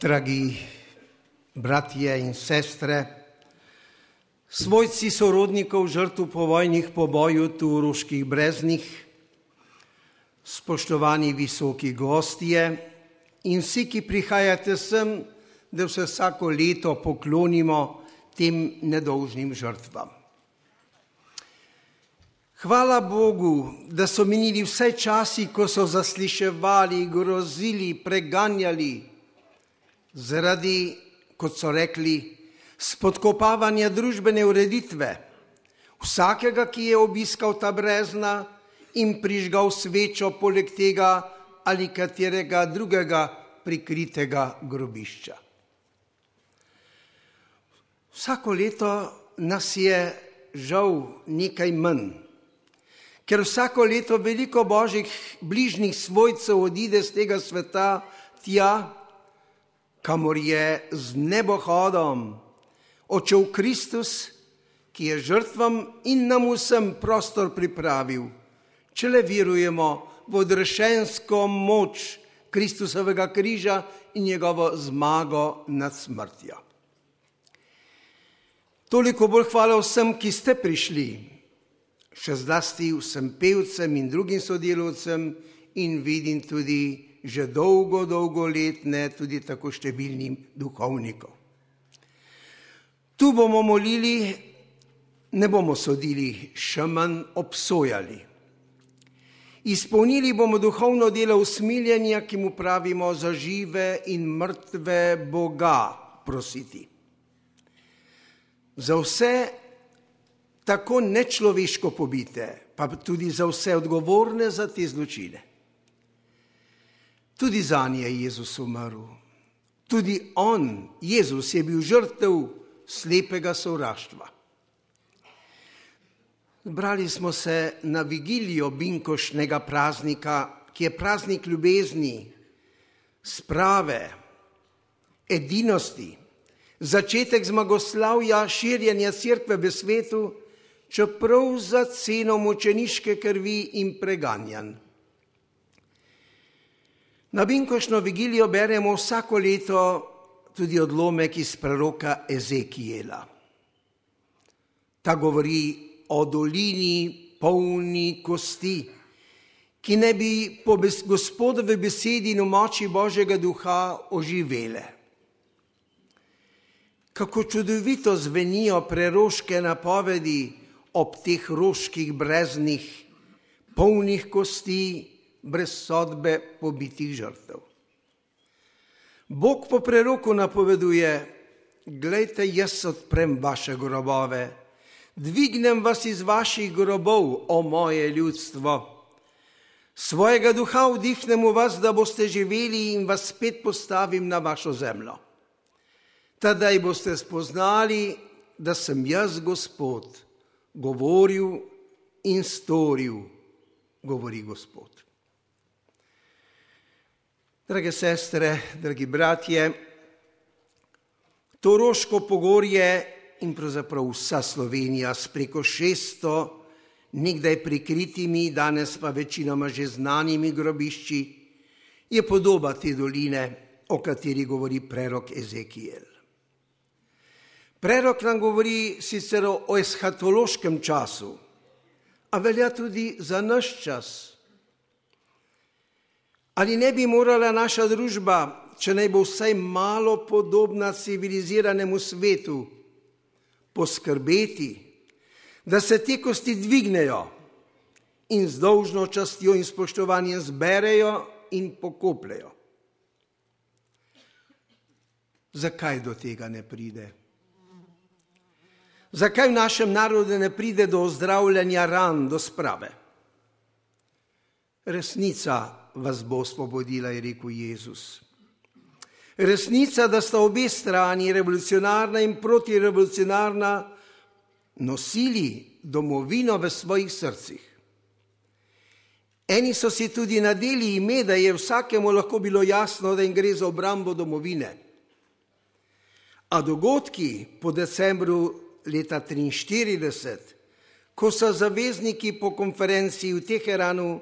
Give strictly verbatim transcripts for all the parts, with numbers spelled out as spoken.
Dragi bratje in sestre, svojci sorodnikov žrtv povojnih pobojů tu v Ruških Breznih, spoštovani visoki gostje in vsi, ki prihajate sem, da se vsako leto poklonimo tem nedolžnim žrtvam. Hvala Bogu, da so minili vse časi, ko so zasliševali, grozili, preganjali, zaradi, kot so rekli, spodkopavanja družbene ureditve, vsakega, ki je obiskal ta brezna in prižgal svečo poleg tega ali katerega drugega prikritega grobišča. Vsako leto nas je žal nekaj manj, ker vsako leto veliko božjih bližnjih svojcev odide z tega sveta tja, kamor je z nebohodom odšel Kristus, ki je žrtvam in nam vsem prostor pripravil, če le verujemo v odrešensko moč Kristusovega križa in njegovo zmago nad smrtjo. Toliko bolj hvala vsem, ki ste prišli, še zlasti vsem pevcem in drugim sodelavcem in vidim tudi že dolgo, dolgo letne, tudi tako številnim duhovnikov. Tu bomo molili, ne bomo sodili, še manj obsojali. Izpolnili bomo duhovno delo usmiljenja, ki mu pravimo za žive in mrtve Boga prositi. Za vse tako nečloveško pobite, pa tudi za vse odgovorne za te zločine. Tudi zanje je Jezus umrl. Tudi on, Jezus, je bil žrtev slepega sovraštva. Zbrali smo se na vigilijo binkošnega praznika, ki je praznik ljubezni, sprave, edinosti, začetek zmagoslavja širjenja cerkve v svetu, čeprav za ceno mučeniške krvi in preganjanj. Na binkošno vigilijo beremo vsako leto tudi odlomek iz preroka Ezekijela. Ta govori o dolini polni kosti, ki ne bi po Gospodovi besedi in v moči Božjega duha oživele. Kako čudovito zvenijo preroške napovedi ob teh roških breznih, polnih kosti, brez sodbe pobitih žrtev. Bog po preroku napoveduje: glejte, jaz odprem vaše grobove, dvignem vas iz vaših grobov, o moje ljudstvo. Svojega duha vdihnem v vas, da boste živeli in vas spet postavim na vašo zemljo. Tadaj boste spoznali, da sem jaz Gospod, govoril in storil, govori Gospod. Drage sestre, dragi bratje, to Roško pogorje in pravzaprav vsa Slovenija s preko šeststo nekdaj prikritimi, danes pa večinoma že znanimi grobišči, je podoba te doline, o kateri govori prerok Ezekijel. Prerok nam govori sicer o eshatološkem času, a velja tudi za naš čas. Ali ne bi morala naša družba, če naj bo vsaj malo podobna civiliziranemu svetu, poskrbeti, da se te kosti dvignejo in z dolžno častjo in spoštovanjem zberejo in pokopljejo? Zakaj do tega ne pride? Zakaj v našem narodu ne pride do ozdravljanja ran, do sprave? Resnica vas bo osvobodila, je rekel Jezus. Resnica, da sta obe strani, revolucionarna in protirevolucionarna, nosili domovino v svojih srcih. Eni so si tudi nadeli ime, da je vsakemu lahko bilo jasno, da jim gre za obrambo domovine. A dogodki po decembru leta triinštirideset, ko so zavezniki po konferenciji v Teheranu,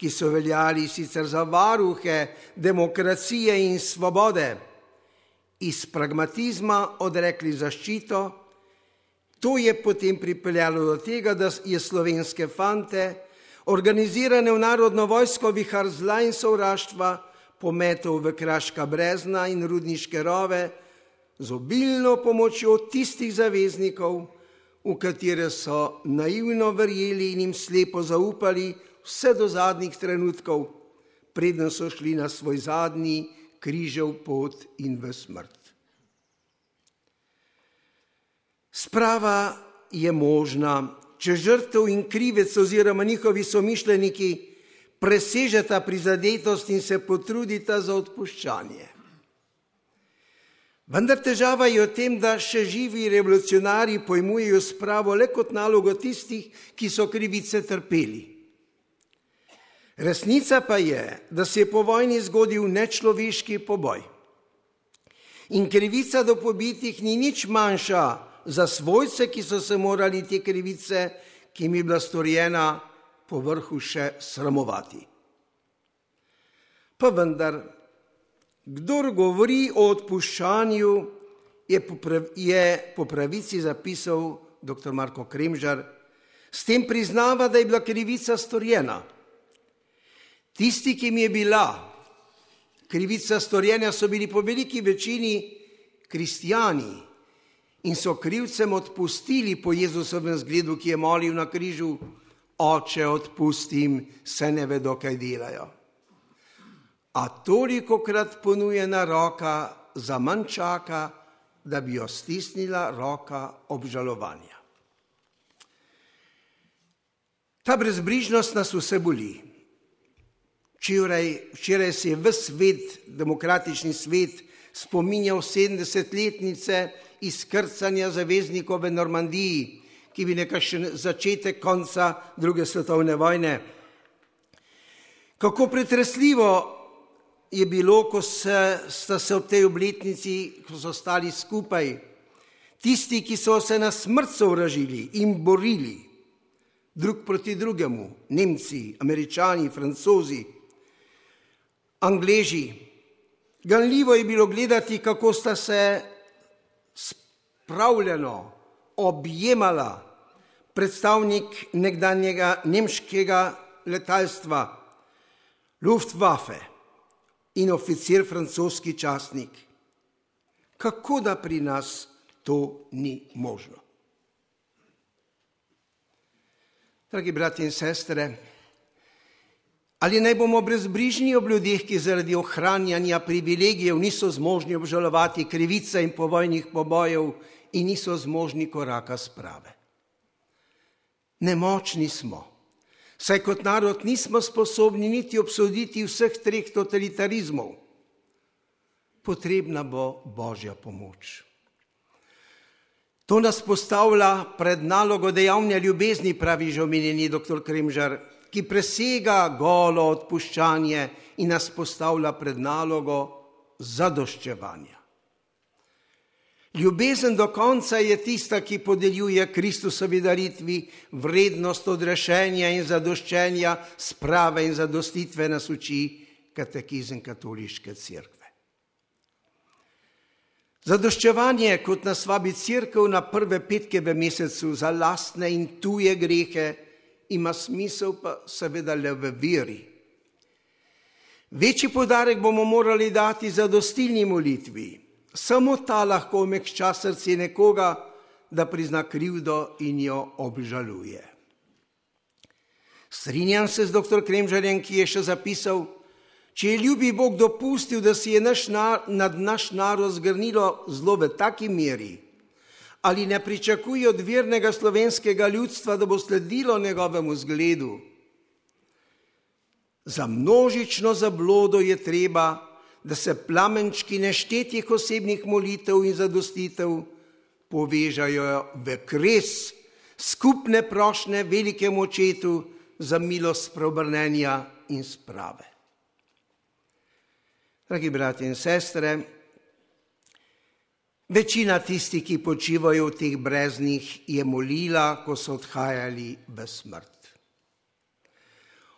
ki so veljali sicer za varuhe demokracije in svobode, iz pragmatizma odrekli zaščito. To je potem pripeljalo do tega, da je slovenske fante, organizirane v narodno vojsko, vihar zla in sovraštva, pometel v kraška brezna in rudniške rove z obilno pomočjo tistih zaveznikov, v katere so naivno verjeli in jim slepo zaupali vse do zadnjih trenutkov, preden so šli na svoj zadnji križev pot in v smrt. Sprava je možna, če žrtev in krivec oziroma njihovi somišljeniki presežeta prizadetost in se potrudita za odpuščanje. Vendar težava je v tem, da še živi revolucionarji pojmujejo spravo le kot nalogo tistih, ki so krivice trpeli. Resnica pa je, da se je po vojni zgodil nečloveški poboj. In krivica do pobitih ni nič manjša za svojce, ki so se morali te krivice, ki jim je bila storjena, po vrhu še sramovati. Pa vendar, kdor govori o odpuščanju, je po, prav, je po pravici zapisal doktor Marko Kremžar, s tem priznava, da je bila krivica storjena. Tisti, ki mi je bila krivica storjena, so bili po veliki večini kristjani in so krivcem odpustili po Jezusovem zgledu, ki je molil na križu: Oče, odpustim, se ne vedo, kaj delajo. A tolikokrat ponujena roka za manj čaka, da bi jo stisnila roka obžalovanja. Ta brezbrižnost nas vse boli. Včeraj, včeraj se je ves svet, demokratični svet, spominjal sedemdesetletnice izkrcanja zaveznikov v Normandiji, ki bi nekakšen začetek konca druge svetovne vojne. Kako pretresljivo je bilo, ko se, sta se ob tej obletnici, ko so stali skupaj, tisti, ki so se na smrt sovražili in borili, drug proti drugemu, Nemci, Američani, Francozi, Angleži. Ganljivo je bilo gledati, kako sta se spravljeno objemala predstavnik nekdanjega nemškega letalstva Luftwaffe in oficir francoski častnik. Kako da pri nas to ni možno? Dragi bratje in sestre, ali naj bomo brezbrižni ob ljudeh, ki zaradi ohranjanja privilegijev niso zmožni obžalovati krivice in povojnih pobojev in niso zmožni koraka sprave? Nemočni smo, saj kot narod nismo sposobni niti obsoditi vseh treh totalitarizmov. Potrebna bo Božja pomoč. To nas postavlja pred nalogo dejavne ljubezni, pravi že omenjeni doktor Kremžar, ki presega golo odpuščanje in nas postavlja pred nalogo zadoščevanja. Ljubezen do konca je tista, ki podeljuje Kristusovi daritvi vrednost odrešenja in zadoščenja, sprave in zadostitve, nas uči katekizem katoliške cerkve. Zadoščevanje, kot nas vabi cerkev na prve petke v mesecu za lastne in tuje grehe, ima smisel pa seveda le v veri. Večji poudarek bomo morali dati zadostilni molitvi. Samo ta lahko omekča srce nekoga, da prizna krivdo in jo obžaluje. Strinjam se z doktor Kremžarjem, ki je še zapisal: če je ljubi Bog dopustil, da si je naš nar, nad naš narod zgrnilo zlo v taki meri, ali ne pričakuje od vernega slovenskega ljudstva, da bo sledilo njegovemu zgledu? Za množično zablodo je treba, da se plamenčki neštetih osebnih molitev in zadostitev povežajo v kres skupne prošnje velikemu očetu za milost preobrnenja in sprave. Dragi bratje in sestre, večina tistih, ki počivajo v teh breznih, je molila, ko so odhajali v smrt.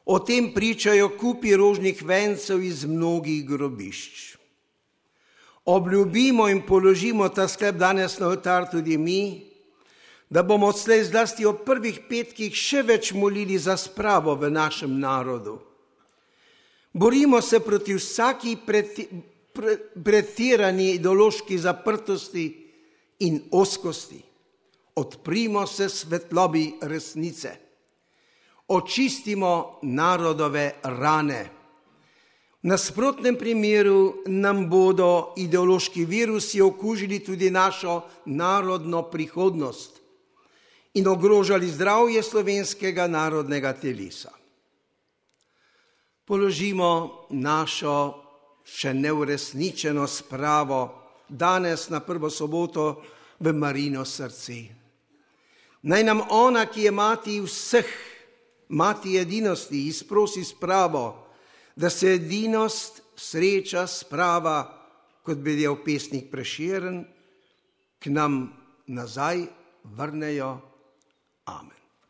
O tem pričajo kupi rožnih vencev iz mnogih grobišč. obljubimo in položimo ta sklep danes na oltar tudi mi, da bomo odslej zlasti ob prvih petkih še več molili za spravo v našem narodu. Borimo se proti vsaki preti, pre, pretirani ideološki zaprtosti in ozkosti. Odprimo se svetlobi resnice. Očistimo narodove rane. V nasprotnem primeru nam bodo ideološki virusi okužili tudi našo narodno prihodnost in ogrožali zdravje slovenskega narodnega telesa. Položimo našo še neuresničeno spravo danes na prvo soboto v Marijino srce. Naj nam ona, ki je mati vseh, mati edinosti, izprosi spravo, da se edinost, sreča, sprava, kot bi dejal pesnik Prešeren, k nam nazaj vrnejo. Amen.